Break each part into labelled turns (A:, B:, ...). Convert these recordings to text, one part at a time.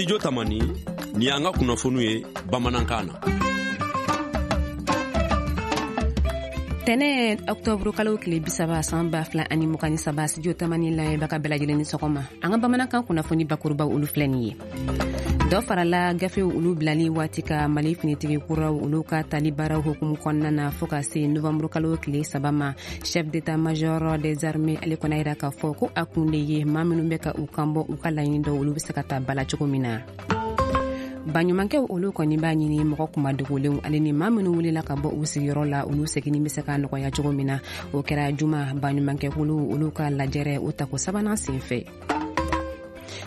A: Studio Tamani, ni y'an ka kunnafoniw ye bamanankan na.
B: Tɛnɛ ɔktɔburu kalo tile 30 san 2023, Studio Tamani lamɛnbaga bɛɛ lajɛlen ni sɔgɔma. An ka bamanankan kunnafoni bakurubaw, olu filɛ nin ye. Dɔ farala gafew olu bilali waati ka Mali finitigi kuraw olu ka tali baaraw hukumu kɔnɔna na fɔɔ ka se novanburu kalo tile 3 ma. Chef d'état major des armées, ale kɔni yira k'a fɔ ko a kun de ye maa minnu bɛ ka u kanbɔ u ka laɲini dɔw, olu bɛ se ka ta bala cogo min na. Baɲumankɛw olu kɔni b'a ɲini mɔgɔ kumadogolenw ale ni maa minnu wulila ka bɔ u sigiyɔrɔ la, olu seginni bɛ se ka nɔgɔya cogo min na. O kɛra juma baɲumankɛkulu olu ka lajɛrɛ o tako sabanan sen fɛ.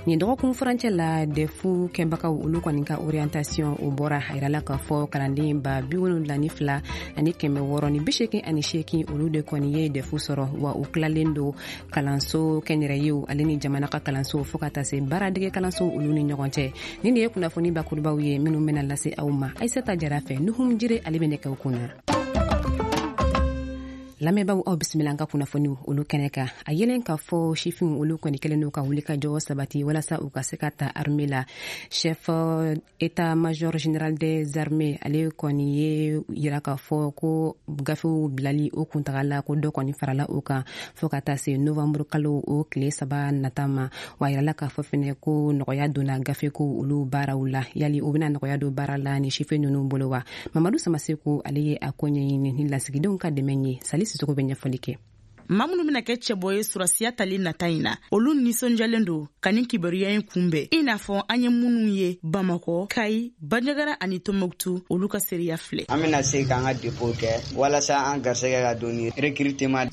B: Nin dɔgɔkun furancɛ la, DEF kɛbagaw olu kɔni ka orientation o bɔra. A yirala k'a fɔ kalanden 72,688, olu de kɔni ye DEF sɔrɔ, wa u tilalen don kalanso kɛnyɛrɛyew ale ni jamana ka kalanso fɔɔ ka taa se baaradege kalanso olu ni ɲɔgɔn cɛ. Nin de ye kunnafoni bakurubaw ye minnu bɛna lase aw ma Ayisata Jara fɛ. Nuhum Jire, ale bɛ nɛgɛw kunna. Lamɛnbaaw, aw bisimila an ka kunnafoniw olu kɛnɛ kan. A yelen k'a fɔ sifinw olu kɔni kɛlen don ka wuli ka jɔ sabati walasa u ka se ka ta armée la. Chef état major général des armées, ale kɔni ye yira k'a fɔ ko gafew bilali o kuntagala, ko dɔ kɔni farala o kan fɔɔ ka taa se novembre kalo o tile 3 nata ma. Wa yirala k'a fɔ fɛnɛ ko nɔgɔya donna gafe ko olu baaraw la. Yali o bɛna nɔgɔya don baara la ni sifin ninnu bolo wa? Mamadu Samaseku, ale ye a ko ɲɛɲini ni lasigidenw ka dɛmɛ ye. Sali Sisoko bɛ ɲɛfɔli kɛ.
C: Maa minnu bɛna kɛ cɛbɔ ye surasiya tali nata in na, olu nisɔndiyalen don ka nin kibaruya in kunbɛn, i n'a fɔ an ye minnu ye Bamakɔ, Kayi, Banjagara ani Tɔnbɔkutu, olu ka seereya filɛ.
D: An bɛna se k'an ka dépôt kɛ walasa an garisɛgɛ ka don ni recrutement.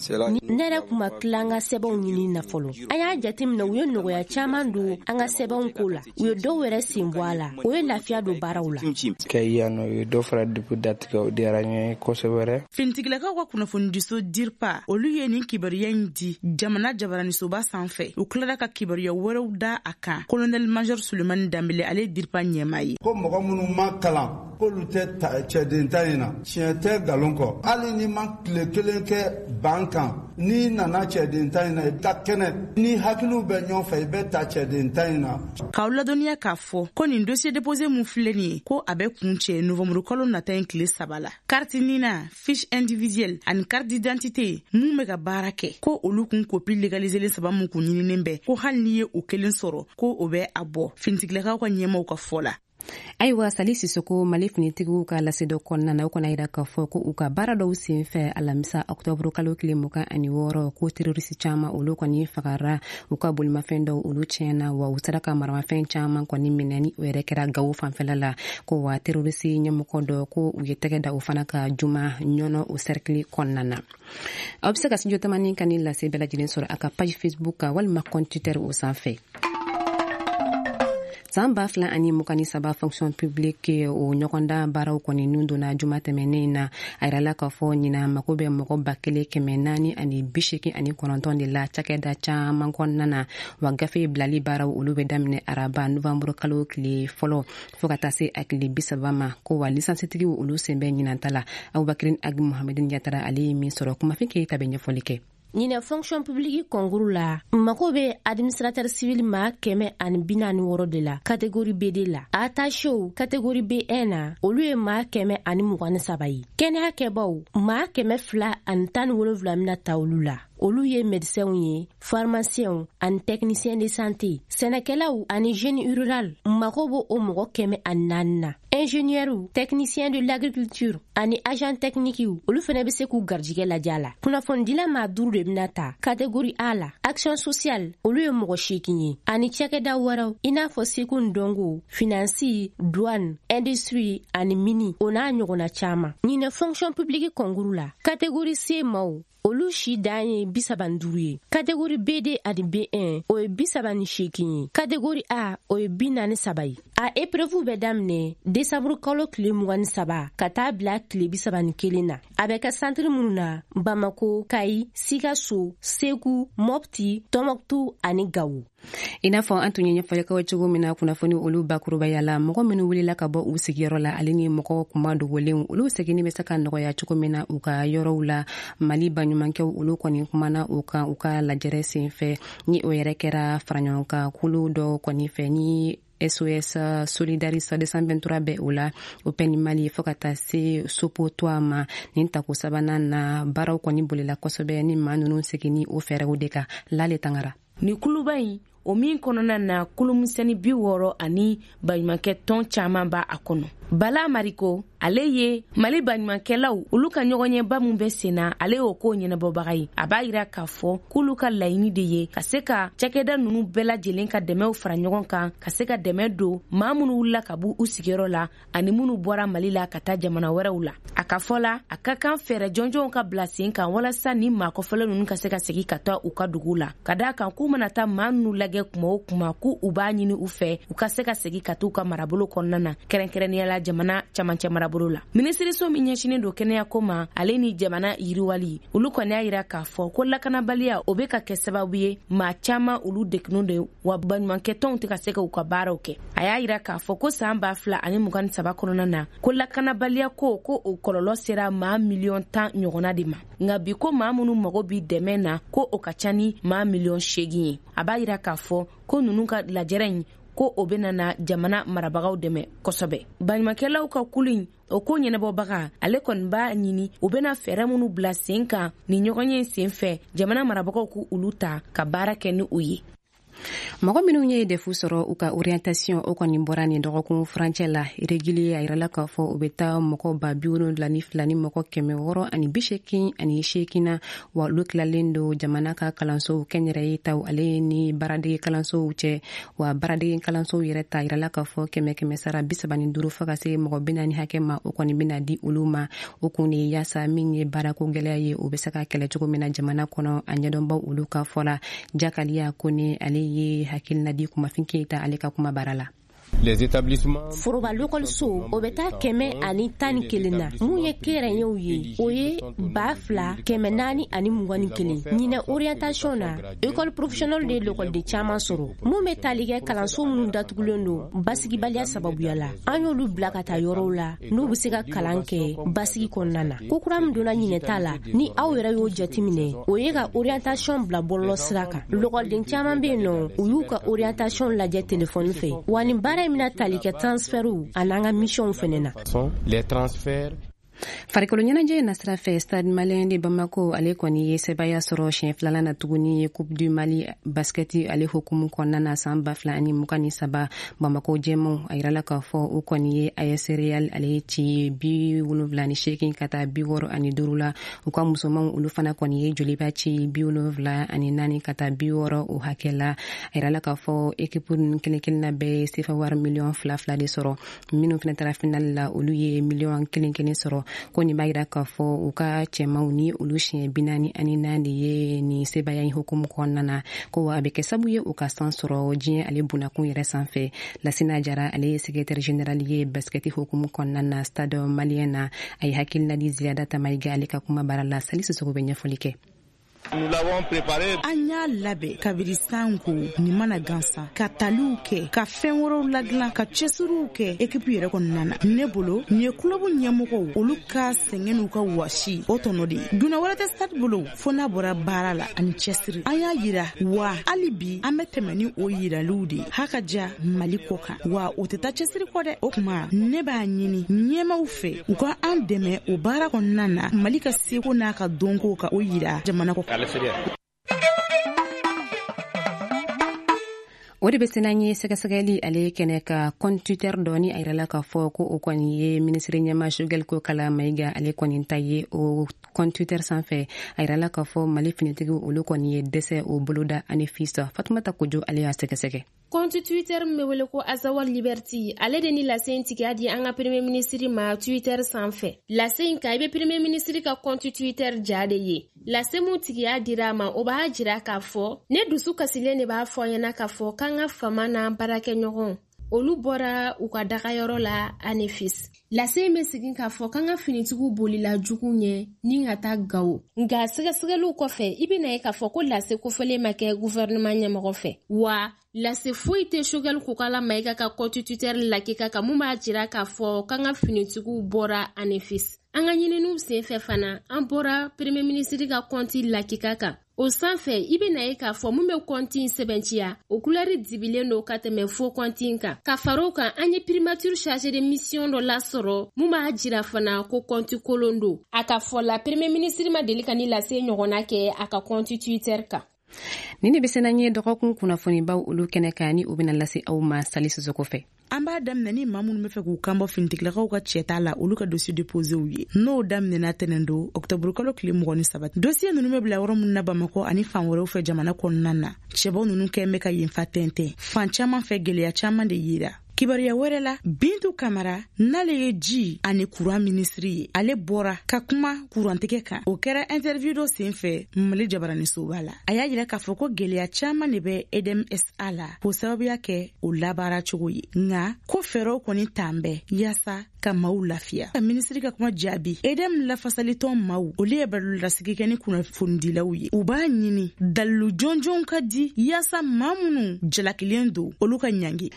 E: Ne yɛrɛ kun ma tila an ka sɛbɛnw ɲini na fɔlɔ. An y'a jateminɛ, u ye nɔgɔya caman don an ka sɛbɛnw ko la, u ye dɔw yɛrɛ sen bɔ a la, o ye lafiya don baaraw la.
F: Kayi yan nɔ, u ye dɔ fara dépôt date kan, o diyara n ye kosɛbɛ.
C: Finitigilakaw ka kunnafonidiso DIRPA, olu ye nin kibaruya in di jamana jabaranisoba sanfɛ. U tilara ka kibaruya wɛrɛw da a kan. Colonel major Sulemani Danbele, ale ye DIRPA ɲɛmaa ye.
G: Ko mɔgɔ minnu ma kalan, k'olu tɛ cɛden ta in na, tiɲɛ tɛ, nkalon kɔ. Hali ni ma tile kelen kɛ ban kan, n'i nana cɛden ta in na, i bɛ taa kɛnɛ ni hakiliw bɛ ɲɔgɔn fɛ, i bɛ ta cɛden ta in na.
C: K'aw ladɔnniya k'a fɔ ko nin dossier déposé mun filɛ nin ye, ko a bɛ kun cɛ novembre kalo nata in tile 3 la. Carte NINA, fiche individuelle ani carte d'identité mun bɛ ka baara kɛ, ko olu kun copie légaliselen saba mun kun ɲininen bɛ, ko hali n'i ye o kelen sɔrɔ, ko o bɛ a bɔ, finitigilakaw ka ɲɛmaw ka fɔ la.
B: Ayiwa, Sali Sisoko, Mali finitigiw ka lase dɔ kɔnɔna na, o kɔni yira k'a fɔ ko u ka baara dɔw sen fɛ alamisa ɔktɔburu kalo tile 26, ko terorisi caman olu kɔni fagara, u ka bolimafɛn dɔw olu tiɲɛna, wa u sera ka maramafɛn caman kɔni minɛ, ni o yɛrɛ kɛra Gawo fanfɛla la. Ko wa terorisi ɲɛmɔgɔ dɔ, ko u ye tɛgɛ da o fana ka juma Ɲɔnɔ o cercle kɔnɔna na. Aw bɛ se ka Studio Tamani ka ni lase bɛɛ lajɛlen sɔrɔ a ka page Facebook kan walima compte Twitter o sanfɛ. San 2023 fonction publique o ɲɔgɔndan baaraw kɔni nun donna juma tɛmɛnen na. A yirala k'a fɔ ɲina mako bɛ mɔgɔ 1489 de la cakɛda caman kɔnɔna na. Wa gafe bilali baaraw olu bɛ daminɛ araba novanburu kalo tile 1 fɔɔ ka taa se a tile 30 ma. Ko wa lisansitigiw olu sen bɛ ɲinanta la. Abubakirin Agi Mohamedin Yatara, ale ye min sɔrɔ, Kumafin Keyita bɛ ɲɛfɔli kɛ.
E: Ɲinɛ fonction publique concours la, mako bɛ administrateur civil ma 146 de la catégorie BD la. Attachéw catégorie B1 na, olu ye maa 123 ye. Kɛnɛya kɛbaw maa 217 bɛna ta olu la, olu ye médecins ye, pharmaciens ani technicien de santé. Sɛnɛkɛlaw ani génie rural, mako b'o o mɔgɔ 104 na. Ingénieur, technicien de l'agriculture ani agent technique, olu fɛnɛ bɛ se k'u garijɛgɛ lajɛ a la. Kunnafonidila maa duuru de bɛna ta catégorie A la. Action sociale, olu ye mɔgɔ 8 ye, ani cakɛda wɛrɛw i n'a fɔ seko ni dɔnko, finance, douane, industrie ani mini, o n'a ɲɔgɔnna caman. Ɲinɛ fonction publique concours la, catégorie C maaw, olu si dan ye 35 ye. Catégorie BD ani B1, o ye 38 ye. Catégorie A, o ye 43 ye. A épreuve bɛ daminɛ décembre kalo tile 23 ka taa bila tile 31 na. A bɛ kɛ centre minnu na: Bamako, Kayi, Sikaso, Segu, Mopti, Tɔnbɔkutu ani Gawo.
B: I n'a fɔ an tun ye ɲɛfɔli kɛ cogo min na kunnafoni olu bakurubaya la, mɔgɔ minnu wulila ka bɔ u sigiyɔrɔ la ale ni mɔgɔ kuma dogolenw, olu seginni bɛ se ka nɔgɔya cogo min na u ka yɔrɔw la, Mali baɲumankɛw olu kɔni kumana o kan u ka lajɛrɛ sen fɛ, ni o yɛrɛ kɛra faraɲɔgɔnkan kulu dɔ kɔni fɛ ni SOS Solidaris 223 bɛ o la, Open Mali, fo ka taa se Sopotoa ma. Nin tako sabanan na, baaraw kɔni bolila kosɛbɛ ni maa ninnu seginni o fɛɛrɛw de kan. Lale Tangara.
H: Ni kuluba in, o min kɔnɔna na kulumisɛnni 60 ani baɲumankɛ tɔn caman b'a a kɔnɔ. Bala Mariko, ale ye Mali baɲumankɛlaw olu ka ɲɔgɔnɲɛba min bɛ sen na, ale y'o ko ɲɛnabɔbaga ye. A b'a yira k'a fɔ k'olu ka laɲini de ye ka se ka cakɛda ninnu bɛɛ lajɛlen ka dɛmɛw fara ɲɔgɔn kan, ka se ka dɛmɛ don maa minnu wulila ka bɔ u sigiyɔrɔ la ani minnu bɔra Mali la ka taa jamana wɛrɛw la. A ka fɔ la, a ka kan fɛɛrɛ jɔnjɔnw ka bila sen kan walasa ni maa kɔfɛlen ninnu ka se ka segin ka taa u ka dugu la, ka d'a kan k'u mana taa maa ninnu lajɛ kuma o kuma, k'u u b'a ɲini u fɛ u ka se ka segin ka t'u ka marabolo kɔnɔna na, kɛrɛnkɛrɛnnenya la jamana camancɛ marabolo la. Minisiriso min ɲɛsinnen don kɛnɛyako ma ale ni jamana yiriwali, olu kɔni y'a yira k'a fɔ ko lakanabaliya o bɛ ka kɛ sababu ye maa caman olu degunnen de, wa baɲumankɛtɔnw tɛ ka se ka u ka baaraw kɛ. A y'a yira k'a fɔ ko san 2023 kɔnɔna na, ko lakanabaliya ko o kɔlɔlɔ sera maa 10 miliyɔn ɲɔgɔnna de ma. Nka bi ko maa minnu mago bi dɛmɛ na, ko o ka ca ni maa 8 miliyɔn ye. A b'a yira k'a fɔ ko ninnu ka lajɛrɛ in, ko o bɛna na jamana marabagaw dɛmɛ kosɛbɛ. Baɲumankɛlaw ka kulu in, o ko ɲɛnabɔbaga, ale kɔni b'a ɲini u bɛna fɛɛrɛ minnu bila sen kan ni ɲɔgɔn ye sen fɛ, jamana marabagaw k'u olu ta ka baara kɛ ni u ye.
B: Mɔgɔ minnu ye DEF sɔrɔ, u ka orientation o kɔni bɔra nin dɔgɔkun furancɛ la régulier. A yirala k'a fɔ u bɛ taa mɔgɔ 72 000 ni mɔgɔ 688 na, wa olu tilalen don jamana ka kalansow kɛnyɛrɛye taw ale ni baaradege kalansow cɛ. Wa baaradege kalansow yɛrɛ ta, yirala k'a fɔ kɛmɛ kɛmɛ sara 35 fo ka se mɔgɔ 40 hakɛ ma, o kɔni bɛna di olu ma. O kun de ye yaasa min ye baarako gɛlɛya ye, o bɛ se ka kɛlɛ cogo min na jamana kɔnɔ. A ɲɛdɔnbaw olu ka fɔ la, Jakaliya Kone, ale ye hakilina di Kumafin Keyita ale ka kuma baara la.
E: Foroba lokɔliso, o bɛ taa 111 na. Mun ye kɛnyɛrɛyew ye, o ye 2421. Ɲinɛ orientation na, école professionnelle de ye lakɔliden caman sɔrɔ. Mun bɛ tali kɛ kalanso minnu datugulen don basigibaliya sababuya la, an y'olu bila ka taa yɔrɔw la n'u bɛ se ka kalan kɛ basigi kɔnɔna na. Ko kura min donna ɲinɛ ta la, ni aw yɛrɛ y'o jateminɛ, o ye ka orientation bila bɔlɔlɔ sira kan. Lakɔliden caman bɛ yen nɔ, u y'u ka orientation lajɛ telefɔni fɛ. Wa nin baara in bɛna tali kɛ transfertw an'an ka missionw fɛnɛ na.
B: Farikolo ɲɛnajɛ nasira fɛ, Stade Malien de Bamako, ale kɔni ye sɛbaya sɔrɔ siɲɛ filanan na tuguni Coupe du Mali basket ale hukumu kɔnɔna na san 2023. Bamako jɛmaw, a yirala k'a fɔ u kɔni ye AS Real ale ci 78 ka taa 65 la. U ka musomanw, olu fana kɔni ye Joliba ci 74 ka taa 60 o hakɛ la. A yirala k'a fɔ équipe ninnu kelen kelenna bɛɛ ye sefa wari miliyɔn 2 2 de sɔrɔ. Minnu fana taara finale la, olu ye miliyɔn 1 1 sɔrɔ. Ko nin b'a yira k'a fɔ u ka cɛmanw ni olu siɲɛ 44 de ye nin sebaya in hukumu kɔnɔna na, ko a bɛ kɛ sabu ye u ka san sɔrɔ diɲɛ ale bunakun yɛrɛ sanfɛ. Lasina Jara, ale ye secrétaire général ye basket hukumu kɔnɔna na Stade Malien na, a ye hakilina di Ziyada Tamayiga ale ka kuma baara la. Sali Sisoko bɛ ɲɛfɔli kɛ.
C: An y'a labɛn kabiri san ko nin mana gansan, ka taliw kɛ, ka fɛn wɛrɛw ladilan, ka cɛsiriw kɛ ekipu yɛrɛ kɔnɔna na. Ne bolo, nin ye kulɔbu ɲɛmɔgɔw olu ka sɛgɛn n'u ka wasi o tɔnɔ de ye. Donna wɛrɛ tɛ Stade bolo fo n'a bɔra baara la ani cɛsiri. An y'a yira wa hali bi an bɛ tɛmɛ ni o yiraliw de ye ha ka ja Mali kɔ kan, wa o tɛ taa cɛsiri kɔ dɛ. O kuma, ne b'a ɲini ɲɛmaw fɛ u ka an dɛmɛ o baara kɔnɔna na, Mali ka seko n'a ka dɔnko ka o yira jamana kɔ.
B: O de bɛ se n'an ye sɛgɛsɛgɛli ale kɛnɛ ka compte Twitter dɔ ni a yirala k'a fɔ ko o kɔni ye minisiri ɲɛma Choguel Kokala Mayiga ale kɔni ta ye. O compte Twitter sanfɛ, a yirala k'a fɔ Mali finitigiw olu kɔni ye dɛsɛ o boloda Anefis. Fatumata Kojo, ale y'a sɛgɛsɛgɛ.
I: Compte Twitter min bɛ wele ko Azawad Liberty, ale de ni lase in tigiya di an ka premier ministre ma Twitter sanfɛ. Lase in kan, i bɛ premier ministre ka compte Twitter ja de ye. Lase mun tigiya dira a ma, o b'a jira k'a fɔ ne dusu kasilen de b'a fɔ ɲɛna k'a fɔ k'an ka fama n'an baarakɛɲɔgɔn olu bɔra u ka dagayɔrɔ la Anefis. Lase in bɛ segin k'a fɔ k'an ka finitigiw bolila jugu ɲɛ ni ka taa Gawo. Nka sɛgɛsɛgɛliw kɔfɛ, i bɛna ye k'a fɔ ko lase kofɔlen ma kɛ gouvernement ɲɛmɔgɔ fɛ, wa lase foyi tɛ Choguel Kokala Mayiga ka compte Twitter lakika kan mun b'a jira k'a fɔ k'an ka finitigiw bɔra Anefis. An ka ɲininiw senfɛ fana, an bɔra premier ministre ka kɔnti lakika kan. O sanfɛ, i bɛna ye k'a fɔ mun bɛ kɔnti in sɛbɛntiya, o kulɛri dibilen don ka tɛmɛ fo kɔnti in kan. Ka fara o kan, an ye primature chargé de mission dɔ lasɔrɔ mun b'a jira fana ko kɔnti kolon don. A ka fɔ la, premier ministre ma deli ka ni lase ɲɔgɔnna kɛ a ka kɔnti Twitter kan.
B: Nin de bɛ se n'an ye dɔgɔkun kunnafonibaw olu kɛnɛ kan, ni u bɛna lase aw ma Sali Sisoko fɛ.
C: An b'a daminɛ ni maa minnu bɛ fɛ k'u kanbɔ finitigilakaw ka cɛta la, olu ka dossier déposéw ye. N'o daminɛna tɛnɛn don octobre kalo tile 23. Dossier ninnu bɛ bila yɔrɔ minnu na Bamakɔ ani fan wɛrɛw fɛ jamana kɔnɔna na. Cɛbaw ninnu kɛn bɛ ka yen fa tɛntɛn. Fan caman fɛ gɛlɛya caman de yera. Kibaruya wɛrɛ la, Bintu Kamara, n'ale ye ji ani kuran minisiri ye, ale bɔra ka kuma kurantigɛ kan. O kɛra interview dɔ senfɛ Mali jabaranisoba la. A y'a yira k'a fɔ ko gɛlɛya caman de bɛ EDM SA la k'o sababuya kɛ o labaara cogo ye. Nka ko fɛɛrɛw kɔni t'an bɛɛ yaasa ka maaw lafiya. Ka minisiri ka kuma jaabi, EDM lafasalitɔn maaw, olu ye balolasigi kɛ ni kunnafonidilaw ye. U b'a ɲini dalilu jɔnjɔnw ka di yaasa maa minnu jalakilen don, olu ka ɲangi.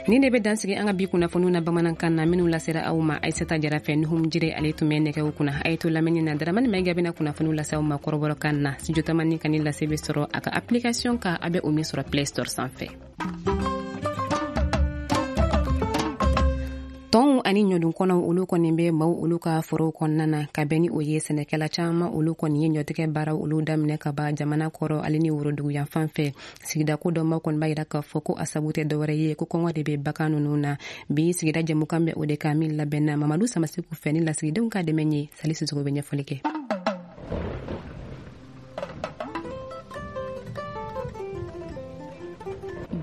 B: Nin de bɛ dansigi an ka bi kunnafoniw na bamanankan na, minnu lasera aw ma Aissata Jara fɛ. Nuhum Jire ale tun bɛ nɛgɛw kunna. A ye to lamɛnni na, Daramani Mayiga bɛna kunnafoniw lase aw ma kɔrɔbɔrɔkan na. Studio Tamani ka ni lase bɛ sɔrɔ a ka application kan, a bɛ o min sɔrɔ Play Store sanfɛ. Tɔnw ani ɲɔdun kɔnɔw olu kɔni bɛ maaw olu ka forow kɔnɔna na, ka bɛn ni o ye sɛnɛkɛla caman olu kɔni ye ɲɔtigɛ baaraw olu daminɛ ka ban jamana kɔrɔ ale ni worodugu fan fɛ. Sigida ko dɔnbaw kɔni b'a yira k'a fɔ ko a sabu tɛ dɔwɛrɛ ye ko kɔngɔ de bɛ bagan ninnu na. Bi sigida jɛmukan bɛ o de kan, min labɛnna Mamadu Samasiku fɛ ni lasigidenw ka dɛmɛ ye. Sali Sisoko bɛ ɲɛfɔli kɛ.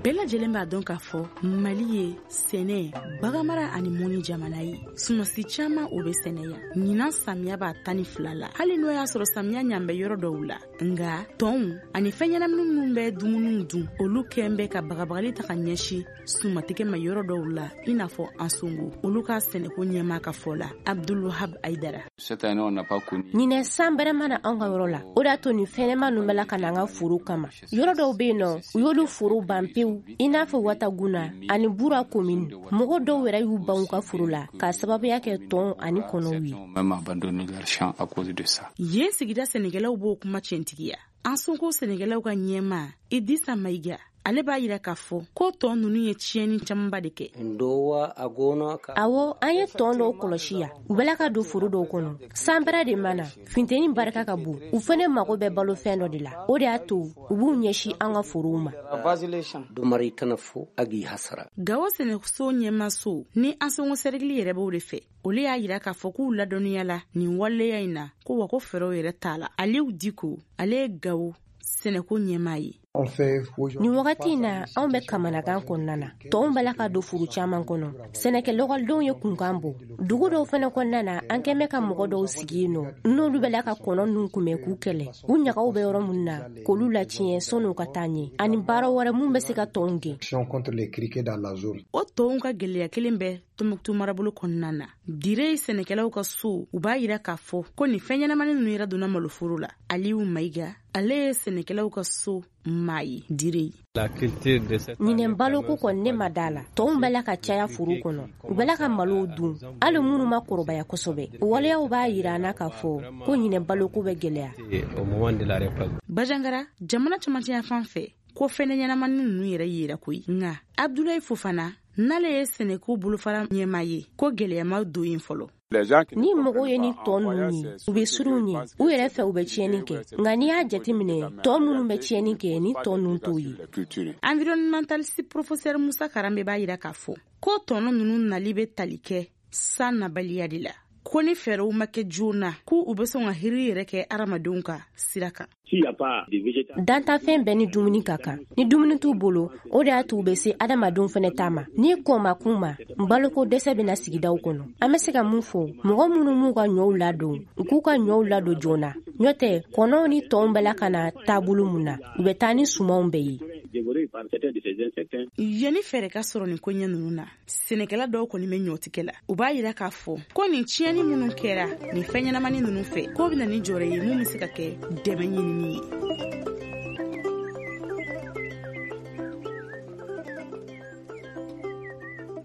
C: Bɛɛ lajɛlen b'a dɔn k'a fɔ Mali ye sɛnɛ, baganmara ani mɔni jamana ye. Sumasi caman o bɛ sɛnɛ yan. Ɲinan samiya b'a 12 la. Hali n'o y'a sɔrɔ samiya ɲan bɛ yɔrɔ dɔw la, nka tɔnw ani fɛn ɲɛnamini minnu bɛ dumuniw dun, olu kɛn bɛ ka bagabagali ta ka ɲɛsin sumatigɛ ma yɔrɔ dɔw la, i n'a fɔ Ansongo. Olu ka sɛnɛko ɲɛmaa ka fɔ la, Abdulwahab Aidara.
E: Ɲinɛ san bɛrɛ ma na anw ka yɔrɔ la, o de y'a to nin fɛnɲɛnɛma ninnu bɛ la ka na an ka foro kama. Yɔrɔ dɔw bɛ yen nɔ, u y'olu foro ban pewu, i n'a fɔ Wataguna ani Bura commune. Mɔgɔ dɔw yɛrɛ y'u ban u ka foro la k'a sababuya kɛ tɔn ani kɔnɔw ye.
C: Yen sigida sɛnɛkɛlaw b'o kuma tiɲɛtigiya. Ansongo sɛnɛkɛlaw ka ɲɛmaa Idrissa Mayiga, ale b'a yira k'a fɔ ko tɔn ninnu ye tiɲɛni camanba de kɛ.
E: Awɔ, an ye tɔn dɔw kɔlɔsi yan, u bɛla ka don foro dɔw kɔnɔ. San bɛrɛ de ma na, funteni barika ka bon, u fɛnɛ mago bɛ balofɛn dɔ de la, o de y'a to u b'u ɲɛsin an ka forow ma.
C: Gawo sɛnɛso ɲɛmaso ni Ansongo sɛrigili yɛrɛ b'o de fɛ, olu y'a yira k'a fɔ k'u ladɔnniya la nin waleya in na, ko wa ko fɛɛrɛw yɛrɛ t'a la. Aliyu Diko, ale ye Gawo sɛnɛko ɲɛmaa ye.
E: Nin wagati in na, anw bɛ kamanagan kɔnɔna na. Tɔnw bɛ la ka don foro caman kɔnɔ. Sɛnɛkɛ lɔgɔlidenw ye kunkan bɔ. Dugu dɔw fɛnɛ kɔnɔna na, an kɛn bɛ ka mɔgɔ dɔw sigi yen nɔ, n'olu bɛ la ka kɔnɔ ninnu kunbɛn k'u kɛlɛ. U ɲagaw bɛ yɔrɔ minnu na, k'olu latiɲɛ sɔnni u ka taa ɲɛ, ani baara wɛrɛ mun bɛ se ka tɔnw gɛn.
C: O tɔnw ka gɛlɛya kelen bɛ Tɔnbɔkutu marabolo kɔnɔna na. Dire sɛnɛkɛlaw ka so, u b'a yira k'a fɔ ko nin fɛn ɲɛnamani ninnu yɛrɛ donna maloforo la. Aliyu Mayiga, ale ye sɛnɛkɛlaw ka so maa ye Dire.
E: Ɲinɛ baloko kɔni ne ma da la. Tɔnw bɛ la ka caya foro kɔnɔ, u bɛ la ka malow dun, hali minnu ma kɔrɔbaya kosɛbɛ. O waleyaw b'a yira an na k'a fɔ ko ɲinɛ baloko bɛ gɛlɛya.
C: Bajangara, jamana camancɛ fan fɛ, ko fɛn ɲɛnamani ninnu yɛrɛ yera koyi. Nka Abdulayi Fofana, n'ale ye sɛnɛko bolofara ɲɛmaa ye, ko gɛlɛya ma don yen fɔlɔ.
E: Ni mɔgɔw ye ni tɔn ninnu ye, u bɛ siran u ɲɛ, u yɛrɛ fɛ u bɛ tiɲɛni kɛ. Nka n'i y'a jateminɛ, tɔn minnu bɛ tiɲɛni kɛ, ni tɔn ninnu t'o ye.
C: Environnementaliste professeur Musa Karambe b'a yira k'a fɔ ko tɔnɔ ninnu nali bɛ tali kɛ san nabaliya de la, ko ni fɛɛrɛw ma kɛ joona, k'u u bɛ sɔn ka hiri yɛrɛ kɛ hadamadenw ka sira kan.
E: Dantafɛn bɛɛ ni dumuni ka kan. Ni dumuni t'u bolo, o de y'a to u bɛ se adamadenw fɛnɛ ta ma. Ni kɔn ma k'u ma, baloko dɛsɛ bɛna sigidaw kɔnɔ. An bɛ se ka mun fɔ, mɔgɔ minnu m'u ka ɲɔw ladon, u k'u ka ɲɔw ladon joona. N'o tɛ, kɔnɔw ni tɔnw bɛla ka na taabolo mun na, u bɛ taa ni sumanw bɛɛ ye.
C: Yanni fɛɛrɛ ka sɔrɔ nin koɲɛ ninnu na, sɛnɛkɛla dɔw kɔni bɛ ɲɔtigɛ la. U b'a yira k'a fɔ ko nin tiɲɛni minnu kɛra nin fɛn ɲɛnamani ninnu fɛ, k'o bɛ na ni jɔrɔ ye mun bɛ se ka kɛ dɛmɛ ɲinini ye.